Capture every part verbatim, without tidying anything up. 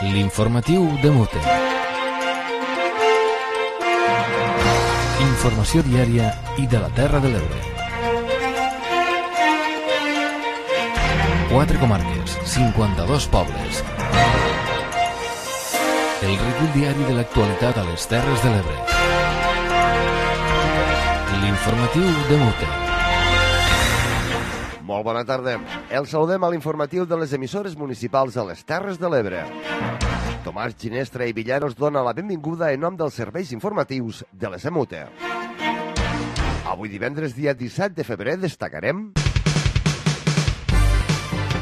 L'informatiu de Mute. Informació diària i de la Terra de l'Ebre. Quatre comarques, cinquanta-dos pobles. El recull diari de l'actualitat a les Terres de l'Ebre. L'informatiu de Mute. Molt bona tarda. El saludem a l'informatiu de les emissores municipals a les Terres de l'Ebre. Tomàs Ginestra i Villar us dona la benvinguda en nom dels serveis informatius de les E M U T E. Avui divendres, dia disset de febrer, destacarem...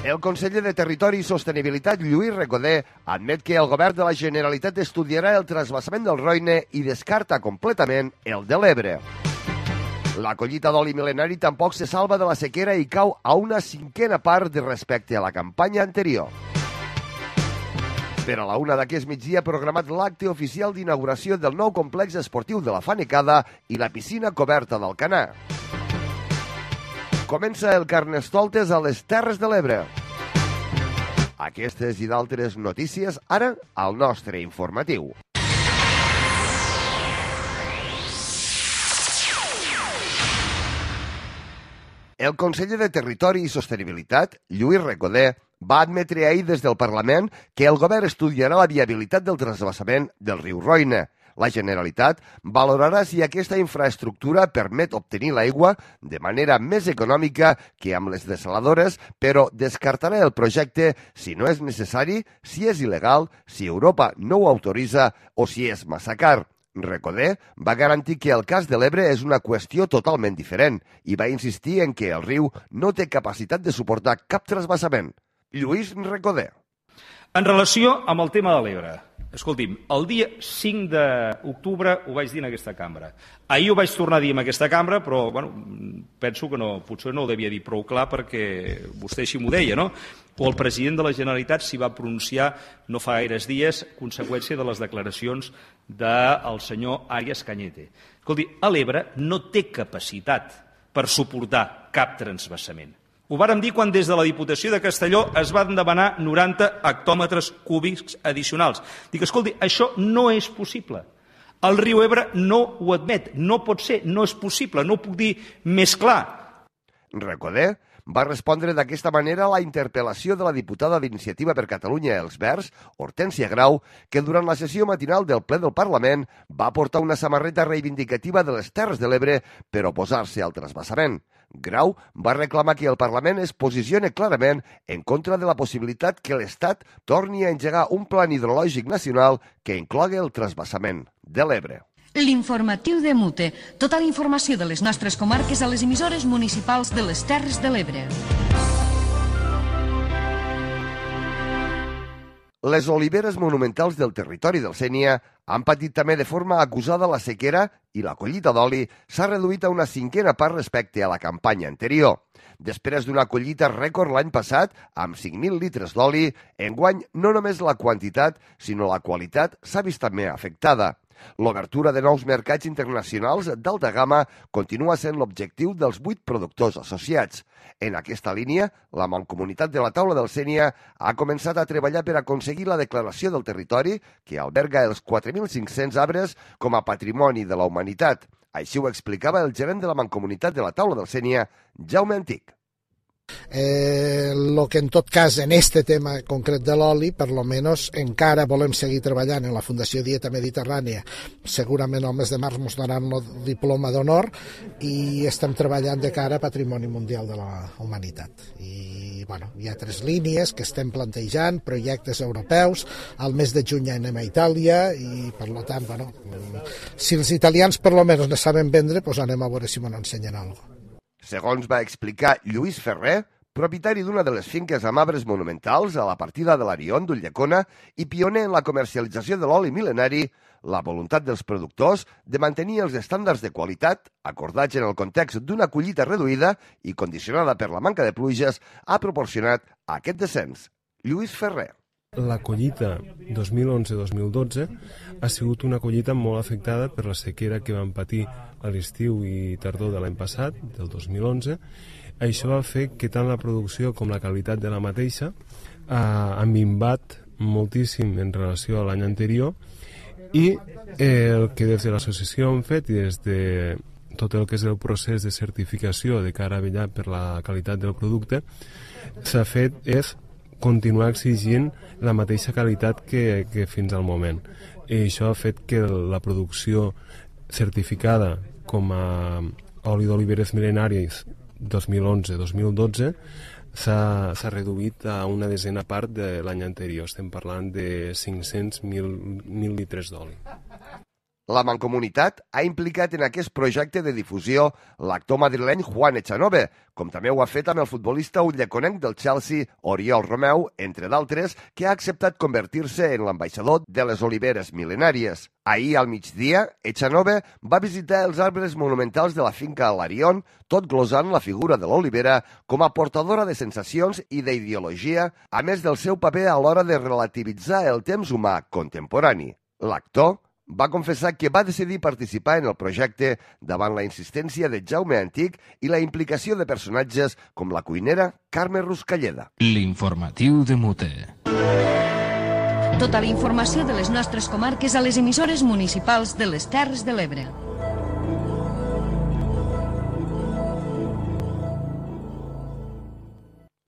El conseller de Territori i Sostenibilitat, Lluís Recoder, admet que el govern de la Generalitat estudiarà el trasbassament del Roine i descarta completament el de l'Ebre. La collita d'oli mil·lenari tampoc se salva de la sequera i cau a una cinquena part de respecte a la campanya anterior. Per a la una d'aquest migdia ha programat l'acte oficial d'inauguració del nou complex esportiu de la Fanecada i la piscina coberta d'Alcanar. Comença el Carnestoltes a les Terres de l'Ebre. Aquestes i d'altres notícies ara al nostre informatiu. El conseller de Territori i Sostenibilitat, Lluís Recoder, va admetre ahir des del Parlament que el govern estudiarà la viabilitat del trasbassament del riu Roine. La Generalitat valorarà si aquesta infraestructura permet obtenir l'aigua de manera més econòmica que amb les desaladores, però descartarà el projecte si no és necessari, si és il·legal, si Europa no ho autoritza o si és massa car. Recoder va garantir que el cas de l'Ebre és una qüestió totalment diferent i va insistir en que el riu no té capacitat de suportar cap trasbassament. Lluís Recoder. En relació amb el tema de l'Ebre, escolti'm, el dia cinc d'octubre ho vaig dir en aquesta cambra. Ahir ho vaig tornar a dir en aquesta cambra, però bueno, penso que no, potser no ho devia dir prou clar perquè vostè així m'ho deia, no? O el president de la Generalitat s'hi va pronunciar no fa gaires dies, conseqüència de les declaracions del senyor Arias Cañete. Escolti, l'Ebre no té capacitat per suportar cap transvassament. Ho vàrem dir quan des de la Diputació de Castelló es van demanar noranta hectòmetres cúbics addicionals. Dic, escolti, això no és possible. El riu Ebre no ho admet, no pot ser, no és possible, no ho puc dir més clar. Recoder va respondre d'aquesta manera a la interpel·lació de la diputada d'Iniciativa per Catalunya Els Verds, Hortènsia Grau, que durant la sessió matinal del ple del Parlament va portar una samarreta reivindicativa de les Terres de l'Ebre per oposar-se al trasbassament. Grau va reclamar que el Parlament es posicione clarament en contra de la possibilitat que l'Estat torni a engegar un plan hidrològic nacional que inclogui el trasbassament de l'Ebre. L'informatiu de Mute. Tota la informació de les nostres comarques a les emissores municipals de les Terres de l'Ebre. Les oliveres monumentals del territori del Sénia han patit també de forma acusada la sequera i la collita d'oli s'ha reduït a una cinquena part respecte a la campanya anterior. Després d'una collita rècord l'any passat, amb cinc mil litres d'oli, enguany no només la quantitat, sinó la qualitat s'ha vist també afectada. L'obertura de nous mercats internacionals d'alta gamma continua sent l'objectiu dels vuit productors associats. En aquesta línia, la Mancomunitat de la Taula del Sénia ha començat a treballar per aconseguir la declaració del territori que alberga els quatre mil cinc-cents arbres com a patrimoni de la humanitat. Així ho explicava el gerent de la Mancomunitat de la Taula del Sénia, Jaume Antic. Eh, lo que en tot cas en este tema concret de l'oli, per lo menos encara volem seguir treballant en la Fundació Dieta Mediterrània. Segurament al mes de març ens donaran el diploma d'honor i estem treballant de cara a Patrimoni Mundial de la Humanitat. I bueno, hi ha tres línies que estem plantejant, projectes europeus. Al mes de juny anem a Itàlia i per lo tant, bueno, si els italians per lo menos ne saben vendre, pues anem a veure si m'ho ensenyen alguna cosa. Segons va explicar Lluís Ferrer, propietari d'una de les finques amb arbres monumentals a la partida de l'Arion d'Ulldecona i pioner en la comercialització de l'oli mil·lenari, la voluntat dels productors de mantenir els estàndards de qualitat acordats en el context d'una collita reduïda i condicionada per la manca de pluges ha proporcionat aquest descens. Lluís Ferrer. La collita dos mil onze dos mil dotze ha sigut una collita molt afectada per la sequera que vam patir a l'estiu i tardor de l'any passat, del dos mil onze. Això va fer que tant la producció com la qualitat de la mateixa eh, han minvat moltíssim en relació a l'any anterior, i el que des de l'associació hem fet i des de tot el que és el procés de certificació de cara a vetllar per la qualitat del producte s'ha fet és continuar exigint la mateixa qualitat que, que fins al moment, i això ha fet que la producció certificada com a oli d'oliveres mil·lenaris dos mil onze dos mil dotze s'ha reduït a una desena part de l'any anterior. Estem parlant de cinc-cents mil litres d'oli. La Mancomunitat ha implicat en aquest projecte de difusió l'actor madrileny Juan Echanove, com també ho ha fet amb el futbolista ulleconenc del Chelsea, Oriol Romeu, entre d'altres, que ha acceptat convertir-se en l'ambaixador de les oliveres mil·lenàries. Ahir al migdia, Echanove va visitar els arbres monumentals de la finca Alarion, tot glosant la figura de l'olivera com a portadora de sensacions i d'ideologia, a més del seu paper a l'hora de relativitzar el temps humà contemporani. L'actor va confessar que va decidir participar en el projecte davant la insistència de Jaume Antic i la implicació de personatges com la cuinera Carme Ruscalleda. L'informatiu de Mute. Tota la informació de les nostres comarques a les emissores municipals de les Terres de l'Ebre.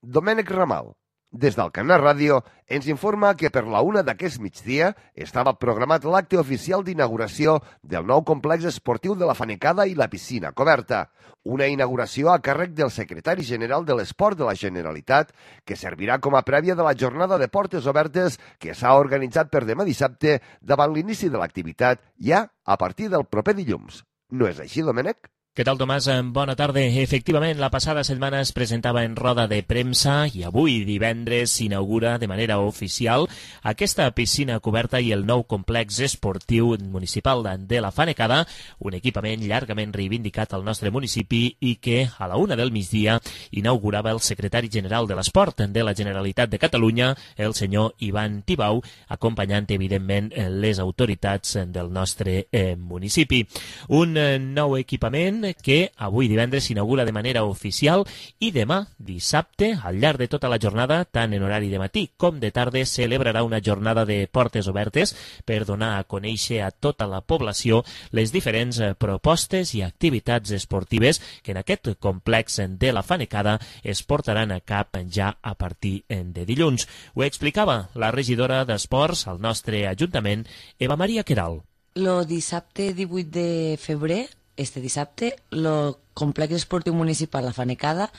Domènec Ramal, des d'Alcanar Ràdio, ens informa que per la una d'aquest migdia estava programat l'acte oficial d'inauguració del nou complex esportiu de la Fanecada i la piscina coberta. Una inauguració a càrrec del secretari general de l'Esport de la Generalitat, que servirà com a prèvia de la jornada de portes obertes que s'ha organitzat per demà dissabte davant l'inici de l'activitat ja a partir del proper dilluns. No és així, Domènec? Què tal, Tomàs? Bona tarda. Efectivament, la passada setmana es presentava en roda de premsa i avui, divendres, s'inaugura de manera oficial aquesta piscina coberta i el nou complex esportiu municipal de la Fanecada, un equipament llargament reivindicat al nostre municipi i que a la una del migdia inaugurava el secretari general de l'Esport de la Generalitat de Catalunya, el senyor Ivan Tibau, acompanyant, evidentment, les autoritats del nostre eh, municipi. Un eh, nou equipament que avui divendres s'inaugura de manera oficial i demà, dissabte, al llarg de tota la jornada, tant en horari de matí com de tarda, celebrarà una jornada de portes obertes per donar a conèixer a tota la població les diferents propostes i activitats esportives que en aquest complex de la Fanecada es portaran a cap ja a partir de dilluns. Ho explicava la regidora d'Esports al nostre Ajuntament, Eva Maria Queralt. El dissabte divuit de febrer, este dissabte, el Complex Esportiu Municipal La Fanecada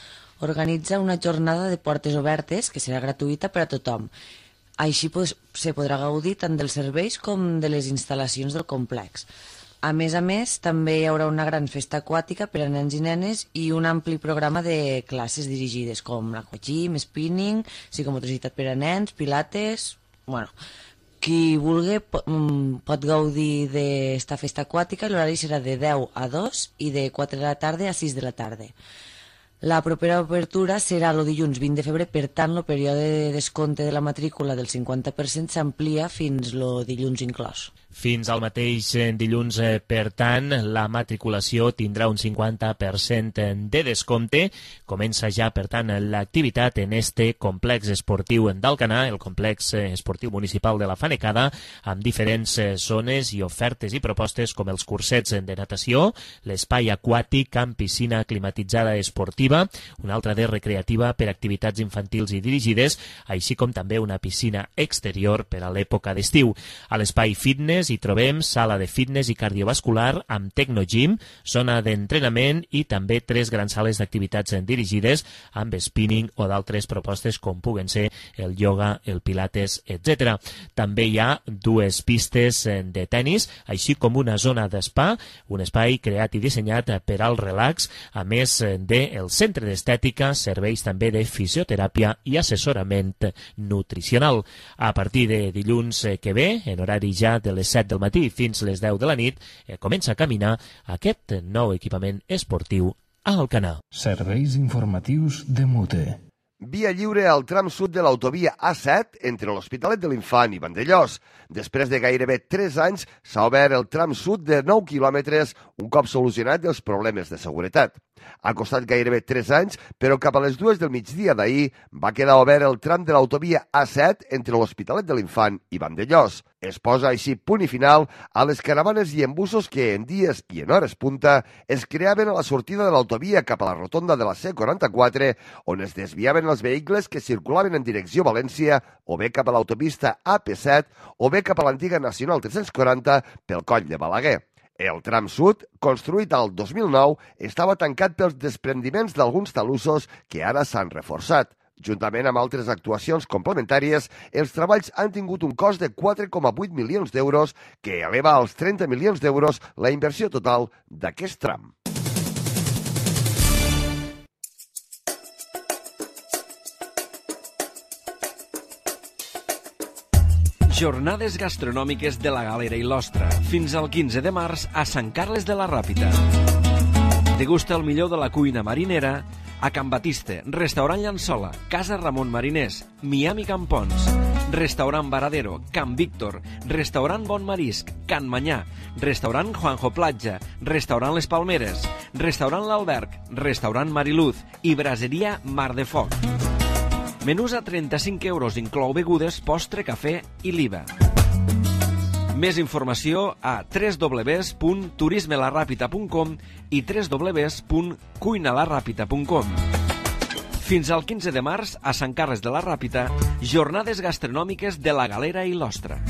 organitza una jornada de portes obertes que serà gratuïta per a tothom. Així pues, se podrà gaudir tant dels serveis com de les instal·lacions del complex. A més a més, també hi haurà una gran festa aquàtica per a nens i nenes i un ampli programa de classes dirigides com l'aquagym, spinning, psicomotricitat per a nens, pilates... Bueno, qui vulgui pot gaudir d'esta festa aquàtica i l'horari serà de deu a dos i de quatre de la tarda a sis de la tarda. La propera obertura serà el dilluns vint de febrer, per tant, el període de descompte de la matrícula del cinquanta per cent s'amplia fins el dilluns inclòs. Fins al mateix dilluns, per tant, la matriculació tindrà un cinquanta per cent de descompte. Comença ja, per tant, l'activitat en este complex esportiu d'Alcanar, el complex esportiu municipal de la Fanecada, amb diferents zones i ofertes i propostes com els cursets de natació, l'espai aquàtic amb piscina climatitzada esportiva, una altra de recreativa per activitats infantils i dirigides, així com també una piscina exterior per a l'època d'estiu. A l'espai fitness hi trobem sala de fitness i cardiovascular amb Tecnogym, zona d'entrenament i també tres grans sales d'activitats dirigides amb spinning o d'altres propostes com puguen ser el ioga, el pilates, etcètera. També hi ha dues pistes de tennis, així com una zona d'espa, un espai creat i dissenyat per al relax, a més del centre d'estètica, serveis també de fisioteràpia i assessorament nutricional. A partir de dilluns que ve, en horari ja de les set del matí fins les deu de la nit, eh, comença a caminar aquest nou equipament esportiu a Alcanar. Serveis informatius de Mute. Via lliure al tram sud de l'autovia A set entre l'Hospitalet de l'Infant i Vandellòs. Després de gairebé tres anys s'ha obert el tram sud de nou quilòmetres un cop solucionat els problemes de seguretat. Ha costat gairebé tres anys, però cap a les dues del migdia d'ahir va quedar obert el tram de l'autovia A set entre l'Hospitalet de l'Infant i Vandellòs. Es posa així punt i final a les caravanes i embussos que en dies i en hores punta es creaven a la sortida de l'autovia cap a la rotonda de la C quaranta-quatre, on es desviaven els vehicles que circulaven en direcció València o bé cap a l'autopista A P set o bé cap a l'antiga Nacional tres-cents quaranta pel coll de Balaguer. El tram sud, construït al dos mil nou, estava tancat pels desprendiments d'alguns talussos que ara s'han reforçat. Juntament amb altres actuacions complementàries, els treballs han tingut un cost de quatre coma vuit milions d'euros, que eleva als trenta milions d'euros la inversió total d'aquest tram. Jornades gastronòmiques de la Galera i l'Ostra, fins al quinze de març a Sant Carles de la Ràpita. Degusta el millor de la cuina marinera a Can Batiste, Restaurant Llançola, Casa Ramon Mariners, Miami Campons, Restaurant Varadero, Can Víctor, Restaurant Bon Marisc, Can Manyà, Restaurant Juanjo Platja, Restaurant Les Palmeres, Restaurant L'Alberg, Restaurant Mariluz i Braseria Mar de Foc. Menús a trenta-cinc euros, inclou begudes, postre, cafè i l'I V A. Més informació a w w w punt turisme la ràpita punt com i w w w punt cuina la ràpita punt com. Fins al quinze de març, a Sant Carles de la Ràpita, jornades gastronòmiques de la Galera i l'Ostra.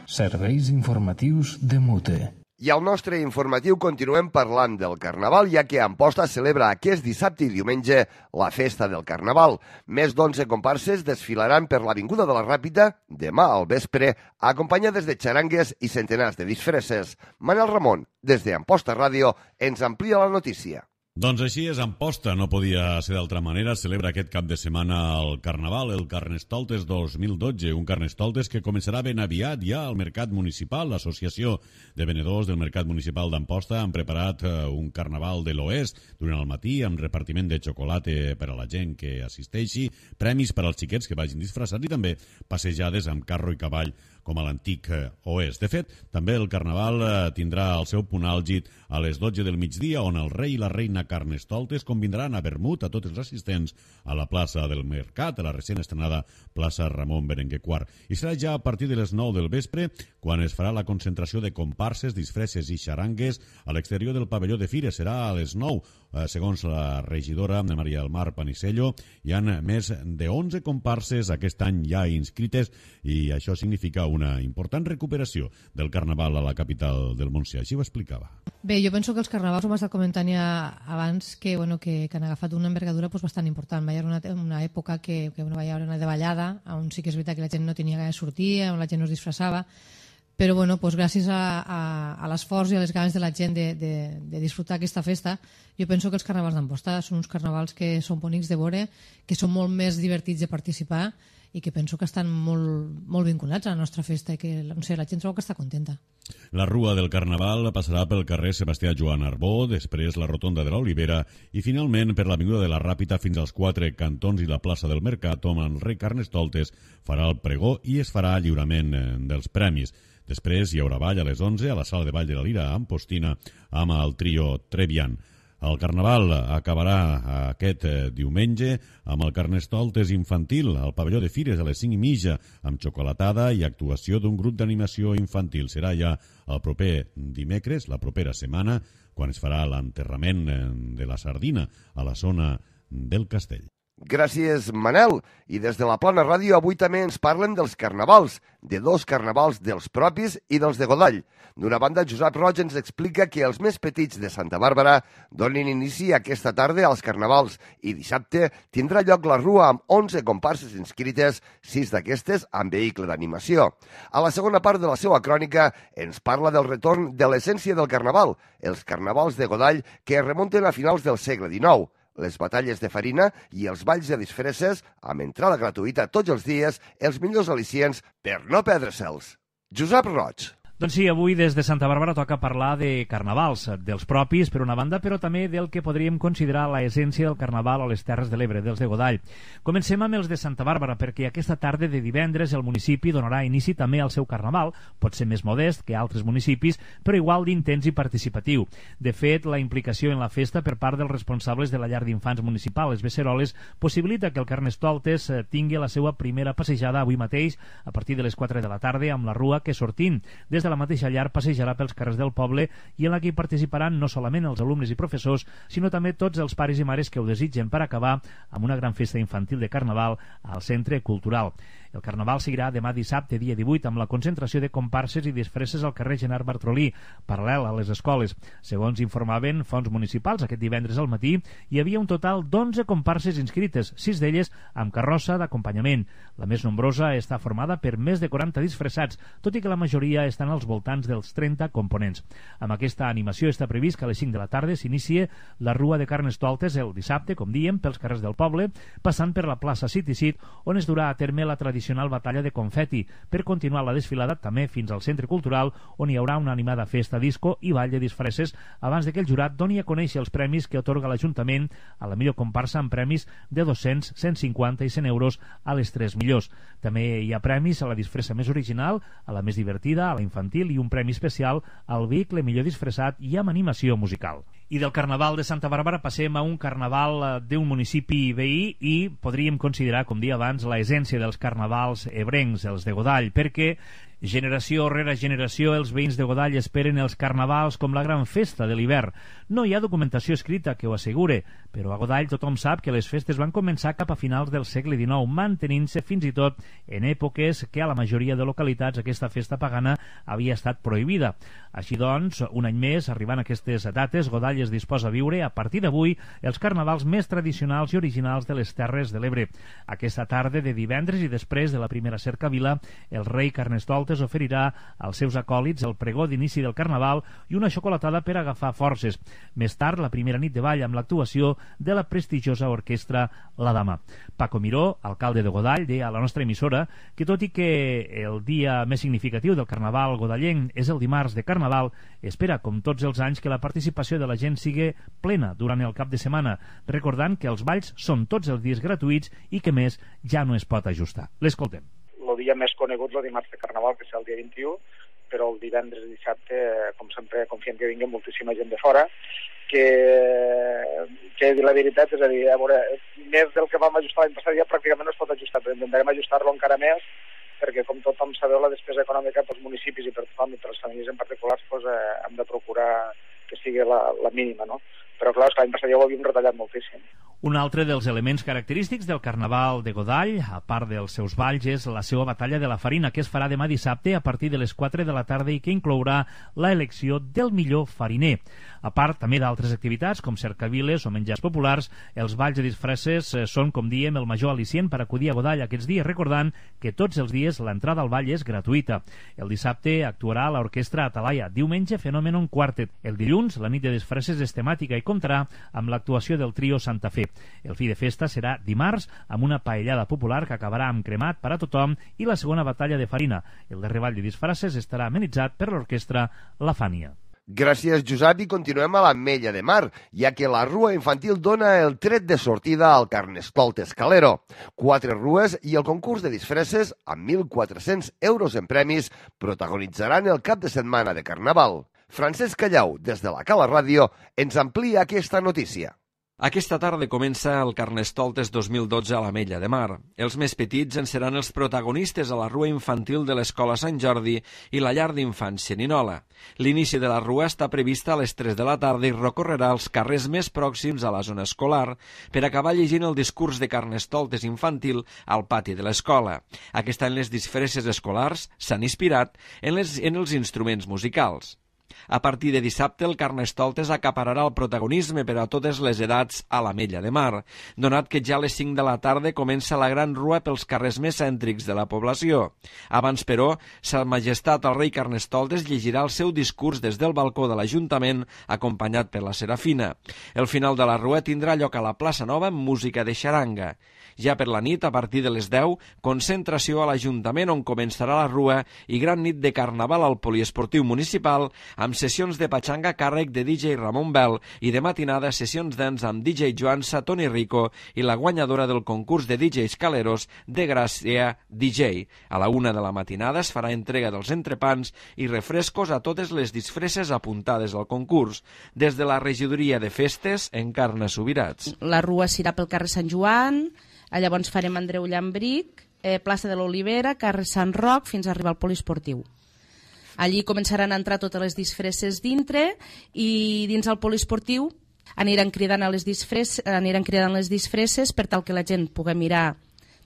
Serveis informatius de Mute. I al nostre informatiu continuem parlant del Carnaval, ja que Amposta celebra aquest dissabte i diumenge la festa del Carnaval. Més d'onze comparses desfilaran per l'Avinguda de la Ràpita demà al vespre, acompanyades de xarangues i centenars de disfresses. Manel Ramon, des de Amposta Ràdio, ens amplia la notícia. Doncs així és, Amposta, no podia ser d'altra manera, celebra aquest cap de setmana el Carnaval, el Carnestoltes dos mil dotze, un Carnestoltes que començarà ben aviat ja al Mercat Municipal. L'Associació de Venedors del Mercat Municipal d'Amposta han preparat un Carnaval de l'Oest durant el matí amb repartiment de xocolata per a la gent que assisteixi, premis per als xiquets que vagin disfressats i també passejades amb carro i cavall com a l'antic Oest. De fet, també el Carnaval tindrà el seu punt àlgid a les dotze del migdia, on el rei i la reina Carnestoltes convindran a vermut a tots els assistents a la plaça del Mercat, a la recent estrenada plaça Ramon Berenguer quart. I serà ja a partir de les nou del vespre quan es farà la concentració de comparses, disfresses i xarangues a l'exterior del pavelló de Fires. Serà a les nou. Segons la regidora Maria del Mar Panisello, hi ha més de onze comparses aquest any ja inscrites i això significa una important recuperació del Carnaval a la capital del Montsià. Així ho explicava. Bé, jo penso que els carnavals, ho hem estat comentant ja abans, que, bueno, que, que han agafat una envergadura pues, bastant important. Va haver una, una època que, que bueno, va haver una davallada, on sí que és veritat que la gent no tenia gaire de sortir, on la gent no es disfressava, però bueno, pues, gràcies a, a, a l'esforç i a les ganes de la gent de, de, de disfrutar aquesta festa, jo penso que els carnavals d'Amposta són uns carnavals que són bonics de veure, que són molt més divertits de participar i que penso que estan molt, molt vinculats a la nostra festa i que no sé, la gent trobo que està contenta. La rua del Carnaval passarà pel carrer Sebastià Joan Arbó, després la rotonda de l'Olivera i finalment per l'Avinguda de la Ràpita fins als quatre cantons i la plaça del Mercat, on el rei Carnestoltes farà el pregó i es farà lliurament dels premis. Després hi haurà ball a les onze a la sala de ball de la Lira Ampostina amb el trio Trevian. El Carnaval acabarà aquest diumenge amb el Carnestoltes infantil al pavelló de Fires a les cinc i mitja amb xocolatada i actuació d'un grup d'animació infantil. Serà ja el proper dimecres, la propera setmana, quan es farà l'enterrament de la sardina a la zona del Castell. Gràcies, Manel. I des de la Plana Ràdio avui també ens parlen dels carnavals, de dos carnavals dels propis i dels de Godall. D'una banda, Josep Roig ens explica que els més petits de Santa Bàrbara donen inici aquesta tarda als carnavals i dissabte tindrà lloc la rua amb onze comparses inscrites, sis d'aquestes amb vehicle d'animació. A la segona part de la seva crònica ens parla del retorn de l'essència del carnaval, els carnavals de Godall que es remunten a finals del segle dinou. Les batalles de farina i els balls de disfresses, amb entrada gratuïta tots els dies, els millors al·licients per no perdre-se'ls. Josep Roig. Doncs sí, avui des de Santa Bàrbara toca parlar de carnavals, dels propis per una banda, però també del que podríem considerar l'essència del carnaval a les Terres de l'Ebre, dels de Godall. Comencem amb els de Santa Bàrbara, perquè aquesta tarda de divendres el municipi donarà inici també al seu carnaval, pot ser més modest que altres municipis, però igual d'intens i participatiu. De fet, la implicació en la festa per part dels responsables de la llar d'infants municipal, les Beceroles, possibilita que el Carnestoltes tingui la seva primera passejada avui mateix, a partir de les quatre de la tarda, amb la rua que sortint des de la mateixa llar passejarà pels carrers del poble i en la que hi participaran no solament els alumnes i professors, sinó també tots els pares i mares que ho desitgen per acabar amb una gran festa infantil de Carnaval al Centre Cultural. El Carnaval seguirà demà dissabte, dia divuit, amb la concentració de comparses i disfresses al carrer Genard Bartrolí, paral·lel a les escoles. Segons informaven fonts municipals, aquest divendres al matí hi havia un total d'onze comparses inscrites, sis d'elles amb carrossa d'acompanyament. La més nombrosa està formada per més de quaranta disfressats, tot i que la majoria estan als voltants dels trenta components. Amb aquesta animació està previst que a les cinc de la tarda s'inicie la Rua de Carnestoltes el dissabte, com diem, pels carrers del poble, passant per la plaça City-Cit, on es durà a terme la tradicional batalla de confeti, per continuar la desfilada també fins al Centre Cultural, on hi haurà una animada festa disco i ball de disfresses abans de que el jurat doni a conèixer els premis que atorga l'Ajuntament a la millor comparsa amb premis de dos-cents, cent cinquanta i cent euros a les tres millors. També hi ha premis a la disfressa més original, a la més divertida, a la infantil i un premi especial al vehicle millor disfressat i amb animació musical. I del Carnaval de Santa Bàrbara passem a un carnaval d'un municipi veí i podríem considerar, com dia abans, l'essència dels carnavals ebrencs, els de Godall, perquè generació rere generació els veïns de Godall esperen els carnavals com la gran festa de l'hivern. No hi ha documentació escrita que ho assegure, però a Godall tothom sap que les festes van començar cap a finals del segle dinou, mantenint-se fins i tot en èpoques que a la majoria de localitats aquesta festa pagana havia estat prohibida. Així doncs, un any més, arribant a aquestes dates, Godall es disposa a viure a partir d'avui els carnavals més tradicionals i originals de les Terres de l'Ebre. Aquesta tarda de divendres i després de la primera cercavila, el rei Carnestoltes oferirà als seus acòlits el pregó d'inici del Carnaval i una xocolatada per agafar forces. Més tard, la primera nit de ball amb l'actuació de la prestigiosa orquestra La Dama. Paco Miró, alcalde de Godall, deia a la nostra emissora que tot i que el dia més significatiu del Carnaval godallenc és el dimarts de Carnaval, espera, com tots els anys, que la participació de la gent sigui plena durant el cap de setmana, recordant que els balls són tots els dies gratuïts i que més ja no es pot ajustar. L'escoltem. El dia més conegut el dimarts de Carnaval, que és el dia vint-i-u, però el divendres i dissabte, com sempre, confiem que vingui moltíssima gent de fora, que, que la veritat, és a dir, a veure, més del que vam ajustar l'any passat ja pràcticament no es pot ajustar, però intentarem ajustar-lo encara més, perquè com tothom sabeu, la despesa econòmica pels municipis i per tothom i per les famílies en particulars pues, eh, hem de procurar que sigui la, la mínima, no? Però clar, l'any passat ja ho havíem retallat moltíssim. Un altre dels elements característics del Carnaval de Godall, a part dels seus balls, és la seva batalla de la farina, que es farà demà dissabte a partir de les quatre de la tarda i que inclourà la elecció del millor fariner. A part també d'altres activitats com cercaviles o menjars populars, els balls de disfresses són, com diem, el major al·licient per acudir a Godall aquests dies, recordant que tots els dies l'entrada al ball és gratuïta. El dissabte actuarà l'orquestra Atalaia, diumenge Fenomenon Quartet. El dilluns la nit de disfresses és temàtica i comptarà amb l'actuació del trio Santa Fe. El fi de festa serà dimarts amb una paellada popular que acabarà amb cremat per a tothom i la segona batalla de farina. El darrer ball de disfresses estarà amenitzat per l'orquestra La Fània. Gràcies, Josep, i continuem a l'Ametlla de Mar, ja que la rua infantil dona el tret de sortida al Carnestoltes Calero. Quatre rues i el concurs de disfresses amb mil quatre-cents euros en premis protagonitzaran el cap de setmana de Carnaval. Francesc Callau, des de la Cala Ràdio, ens amplia aquesta notícia. Aquesta tarda comença el Carnestoltes dos mil dotze a l'Ametlla de Mar. Els més petits en seran els protagonistes a la rua infantil de l'Escola Sant Jordi i la llar d'infants Xerinola. L'inici de la rua està prevista a les tres de la tarda i recorrerà els carrers més pròxims a la zona escolar per acabar llegint el discurs de Carnestoltes infantil al pati de l'escola. Aquest any les disfresses escolars s'han inspirat en, les, en els instruments musicals. A partir de dissabte, el Carnestoltes acapararà el protagonisme per a totes les edats a l'Ametlla de Mar, donat que ja a les cinc de la tarda comença la gran rua pels carrers més cèntrics de la població. Abans, però, Sa Majestat el rei Carnestoltes llegirà el seu discurs des del balcó de l'Ajuntament, acompanyat per la Serafina. El final de la rua tindrà lloc a la plaça Nova amb música de xaranga. Ja per la nit, a partir de les deu, concentració a l'Ajuntament on començarà la rua i gran nit de Carnaval al Poliesportiu Municipal amb sessions de patxanga a càrrec de D J Ramon Bell i de matinada sessions dance amb D J Joansa, Toni Rico i la guanyadora del concurs de D Js Caleros de Gràcia D J. A la una de la matinada es farà entrega dels entrepans i refrescos a totes les disfresses apuntades al concurs. Des de la regidoria de festes, Encarna Subirats. La rua s'irà pel carrer Sant Joan, llavors farem Andreu Llambric, eh, plaça de l'Olivera, carrer Sant Roc, fins a arribar al poliesportiu. Allí començaran a entrar totes les disfresses dintre i dins el poliesportiu aniran cridant, a les disfresses, aniran cridant les disfresses per tal que la gent pugui mirar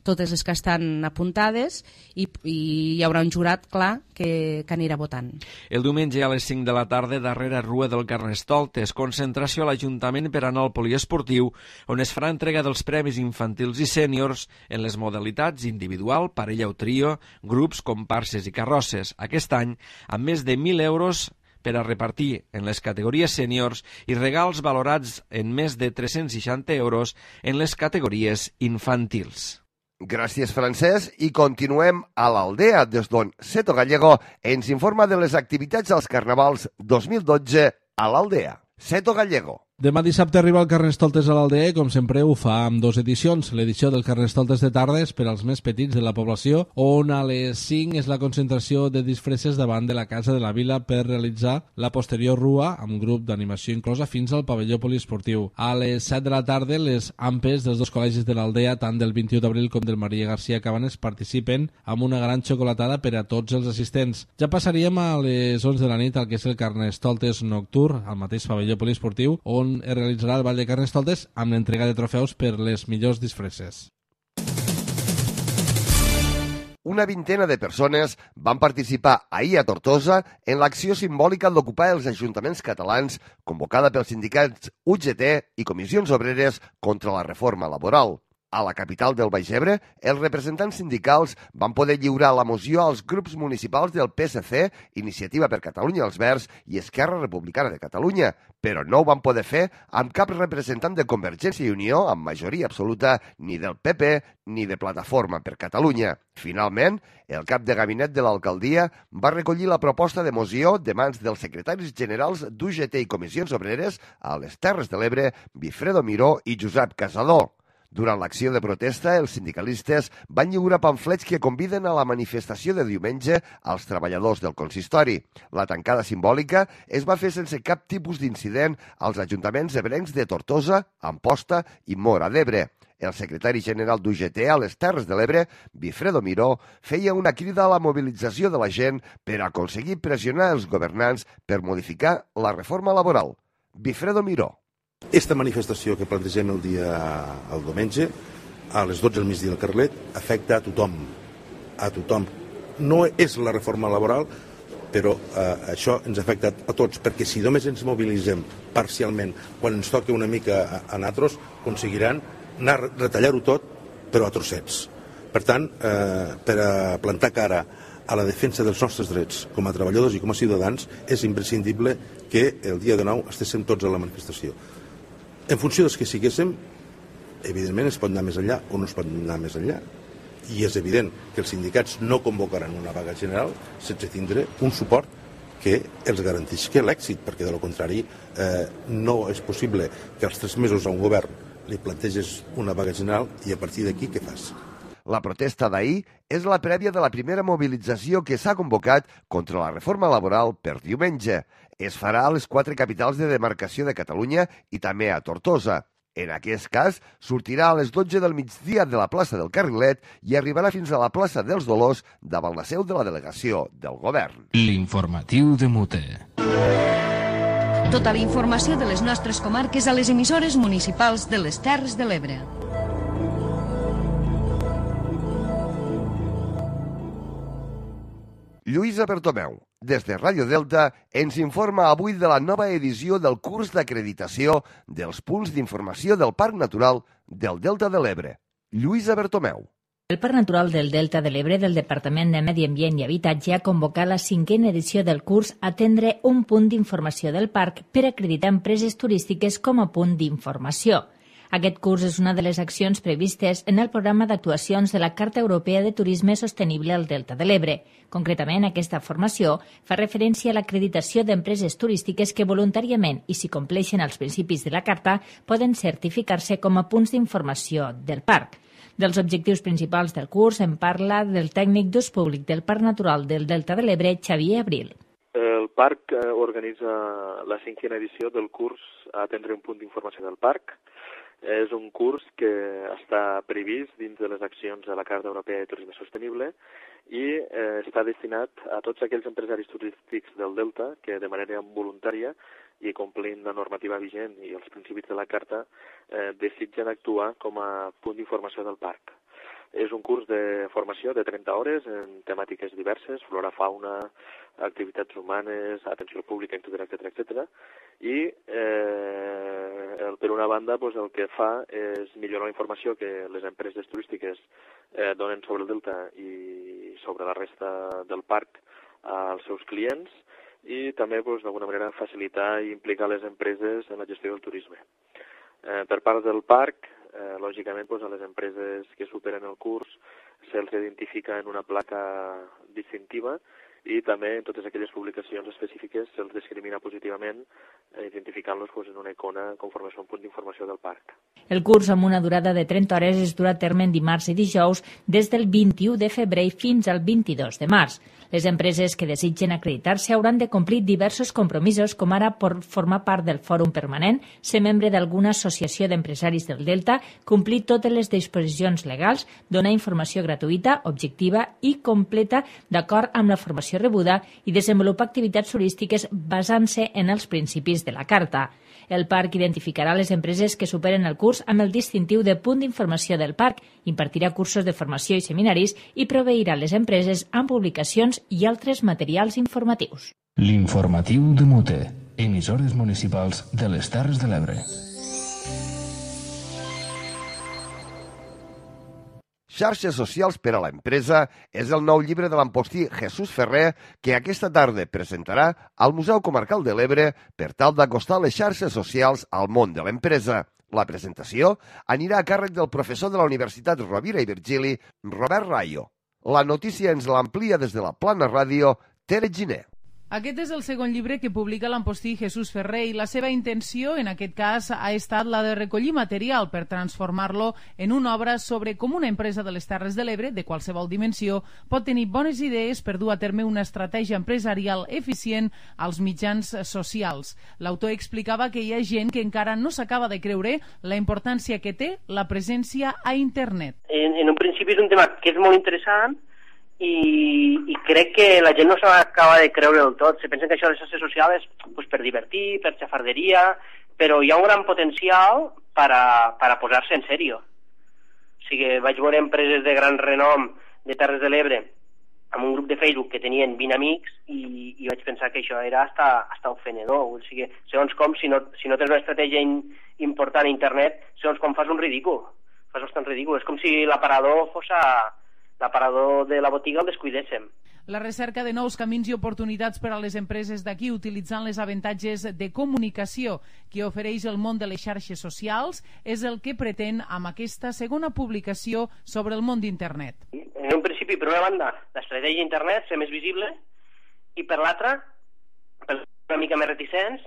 totes les que estan apuntades i, i hi haurà un jurat, clar, que, que anirà votant. El diumenge a les cinc de la tarda, darrere rua del Carnestoltes, concentració a l'Ajuntament per anar al poliesportiu, on es farà entrega dels premis infantils i sèniors en les modalitats individual, parella o trio, grups, comparses i carrosses. Aquest any, amb més de mil euros per a repartir en les categories sèniors i regals valorats en més de tres-cents seixanta euros en les categories infantils. Gràcies, Francesc, i continuem a l'Aldea, des d'on Seto Gallego ens informa de les activitats als Carnavals dos mil dotze a l'Aldea. Seto Gallego. Demà dissabte arriba el Carnestoltes a l'Aldea i, com sempre, ho fa amb dues edicions. L'edició del Carnestoltes de tardes per als més petits de la població, on a les cinc és la concentració de disfresses davant de la Casa de la Vila per realitzar la posterior rua amb grup d'animació inclosa fins al pavelló poliesportiu. A les set de la tarda, les ampes dels dos col·legis de l'Aldea, tant del vint-i-u d'abril com del Maria García Cabanes, participen amb una gran xocolatada per a tots els assistents. Ja passaríem a les onze de la nit al que és el Carnestoltes nocturn, al mateix pavelló poliesportiu, on es realitzarà el Ball de Carnestoltes amb l'entrega de trofeus per les millors disfresses. Una vintena de persones van participar ahir a Tortosa en l'acció simbòlica d'ocupar els ajuntaments catalans convocada pels sindicats U G T i comissions obreres contra la reforma laboral. A la capital del Baix Ebre, els representants sindicals van poder lliurar la moció als grups municipals del P S C, Iniciativa per Catalunya els Verds i Esquerra Republicana de Catalunya, però no ho van poder fer amb cap representant de Convergència i Unió amb majoria absoluta, ni del P P ni de Plataforma per Catalunya. Finalment, el cap de gabinet de l'alcaldia va recollir la proposta de moció de mans dels secretaris generals d'U G T i Comissions Obreres a les Terres de l'Ebre, Bifredo Miró i Josep Casador. Durant l'acció de protesta, els sindicalistes van lliurar pamflets que conviden a la manifestació de diumenge als treballadors del consistori. La tancada simbòlica es va fer sense cap tipus d'incident als ajuntaments ebrencs de Tortosa, Amposta i Móra d'Ebre. El secretari general d'U G T a les Terres de l'Ebre, Bifredo Miró, feia una crida a la mobilització de la gent per aconseguir pressionar els governants per modificar la reforma laboral. Bifredo Miró. Esta manifestació que plantegem el dia el diumenge, a les dotze del migdia al Carlet, afecta a tothom. A tothom. No és la reforma laboral, però eh, això ens afecta a tots, perquè si només ens mobilitzem parcialment, quan ens toca una mica a, a nosaltres, aconseguiran anar a retallar-ho tot, però a trossets. Per tant, eh, per a plantar cara a la defensa dels nostres drets com a treballadors i com a ciutadans, és imprescindible que el dia de nou estiguem tots a la manifestació. En funció dels que siguéssim, evidentment es pot anar més enllà o no es pot anar més enllà. I és evident que els sindicats no convocaran una vaga general sense tindre un suport que els garantisca l'èxit, perquè de lo contrari eh, no és possible que als tres mesos a un govern li planteges una vaga general i a partir d'aquí què fas? La protesta d'ahir és la prèvia de la primera mobilització que s'ha convocat contra la reforma laboral per diumenge. Es farà a les quatre capitals de demarcació de Catalunya i també a Tortosa. En aquest cas, sortirà a les dotze del migdia de la plaça del Carrilet i arribarà fins a la plaça dels Dolors davant la seu de la delegació del govern. L'informatiu de Mute. Tota la informació de les nostres comarques a les emissores municipals de les Terres de l'Ebre. Lluïsa Bertomeu, des de Ràdio Delta, ens informa avui de la nova edició del curs d'acreditació dels punts d'informació del Parc Natural del Delta de l'Ebre. Lluïsa Bertomeu. El Parc Natural del Delta de l'Ebre del Departament de Medi Ambient i Habitatge ha convocat la cinquena edició del curs Atendre un punt d'informació del parc per acreditar empreses turístiques com a punt d'informació. Aquest curs és una de les accions previstes en el programa d'actuacions de la Carta Europea de Turisme Sostenible al Delta de l'Ebre. Concretament, aquesta formació fa referència a l'acreditació d'empreses turístiques que voluntàriament i si compleixen els principis de la Carta poden certificar-se com a punts d'informació del parc. Dels objectius principals del curs en parla del tècnic d'ús públic del Parc Natural del Delta de l'Ebre, Xavier Abril. El parc organitza la cinquena edició del curs Atendre un punt d'informació del parc. És un curs que està previst dins de les accions de la Carta Europea de Turisme Sostenible i eh, està destinat a tots aquells empresaris turístics del Delta que de manera voluntària i complint la normativa vigent i els principis de la Carta eh, desitgen actuar com a punt d'informació del parc. És un curs de formació de trenta hores en temàtiques diverses, flora, fauna, activitats humanes, atenció al públic, etcètera, etcètera, etcètera. I eh, el, per una banda pues, el que fa és millorar la informació que les empreses turístiques eh, donen sobre el Delta i sobre la resta del parc als seus clients i també pues, d'alguna manera facilitar i implicar les empreses en la gestió del turisme. Eh, per part del parc, Eh, lògicament, doncs, a les empreses que superen el curs se'ls identifica en una placa distintiva i també en totes aquelles publicacions específiques se'ls discrimina positivament eh, identificant-los doncs, en una icona conforme a un punt d'informació del parc. El curs amb una durada de trenta hores es durà a terme en dimarts i dijous des del vint-i-u de febrer fins al vint-i-dos de març. Les empreses que desitgen acreditar-se hauran de complir diversos compromisos, com ara por formar part del fòrum permanent, ser membre d'alguna associació d'empresaris del Delta, complir totes les disposicions legals, donar informació gratuïta, objectiva i completa d'acord amb la formació rebuda i desenvolupar activitats turístiques basant-se en els principis de la Carta. El parc identificarà les empreses que superen el curs amb el distintiu de punt d'informació del parc, impartirà cursos de formació i seminaris i proveirà les empreses amb publicacions i altres materials informatius. L'informatiu de Mute, emissores municipals de les Terres de l'Ebre. Xarxes socials per a l'empresa és el nou llibre de l'empostí Jesús Ferrer que aquesta tarda presentarà al Museu Comarcal de l'Ebre per tal d'acostar les xarxes socials al món de l'empresa. La presentació anirà a càrrec del professor de la Universitat Rovira i Virgili, Robert Rayo. La notícia ens l'amplia des de la Plana Ràdio, Tere Giner. Aquest és el segon llibre que publica l'empostí Jesús Ferrer i la seva intenció, en aquest cas, ha estat la de recollir material per transformar-lo en una obra sobre com una empresa de les Terres de l'Ebre, de qualsevol dimensió, pot tenir bones idees per dur a terme una estratègia empresarial eficient als mitjans socials. L'autor explicava que hi ha gent que encara no s'acaba de creure la importància que té la presència a internet. En, en un principi és un tema que és molt interessant, I, i crec que la gent no s'acaba de creure del tot. Se pensen que això de les xarxes socials és pues, per divertir, per xafarderia, però hi ha un gran potencial per a, per a posar-se en sèrio. O sigui, vaig veure empreses de gran renom de Terres de l'Ebre amb un grup de Facebook que tenien vint amics i, i vaig pensar que això era hasta, hasta ofenedor. O sigui, segons com, si no, si no tens una estratègia in, important a internet, segons com fas un ridícul. Fas bastant ridícul. És com si l'aparador fos a... l'aparador de la botiga el descuidéssim. La recerca de nous camins i oportunitats per a les empreses d'aquí utilitzant les avantatges de comunicació que ofereix el món de les xarxes socials és el que pretén amb aquesta segona publicació sobre el món d'internet. En un principi, per una banda, l'estratègia d'internet, ser més visible, i per l'altra, per una mica més reticents,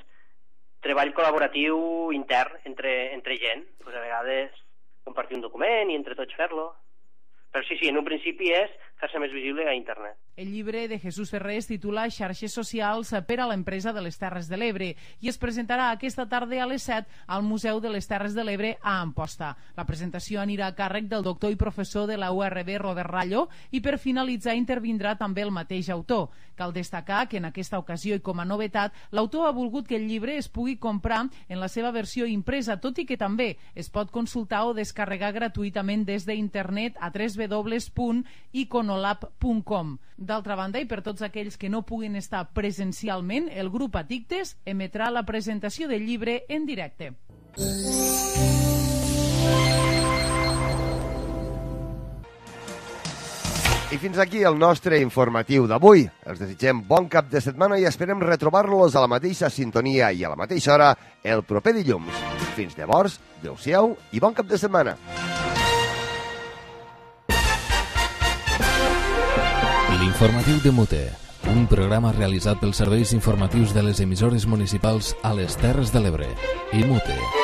treball col·laboratiu intern entre, entre gent. Pues a vegades compartir un document i entre tots fer-lo. Però sí, sí, en un principi és fer-se més visible a internet. El llibre de Jesús Ferrer es titula Xarxes socials per a l'empresa de les Terres de l'Ebre i es presentarà aquesta tarda a les set al Museu de les Terres de l'Ebre a Amposta. La presentació anirà a càrrec del doctor i professor de la U R B, Robert Rayo, i per finalitzar intervindrà també el mateix autor. Cal destacar que en aquesta ocasió i com a novetat, l'autor ha volgut que el llibre es pugui comprar en la seva versió impresa, tot i que també es pot consultar o descarregar gratuïtament des d'internet a w w w punt iconolab punt com. D'altra banda, i per tots aquells que no puguin estar presencialment, el grup Addictes emetrà la presentació del llibre en directe. I fins aquí el nostre informatiu d'avui. Els desitgem bon cap de setmana i esperem retrobar-los a la mateixa sintonia i a la mateixa hora el proper dilluns. Fins llavors, adeu-siau i bon cap de setmana. L'informatiu de Mute, un programa realitzat pels serveis informatius de les emissores municipals a les Terres de l'Ebre i Mute.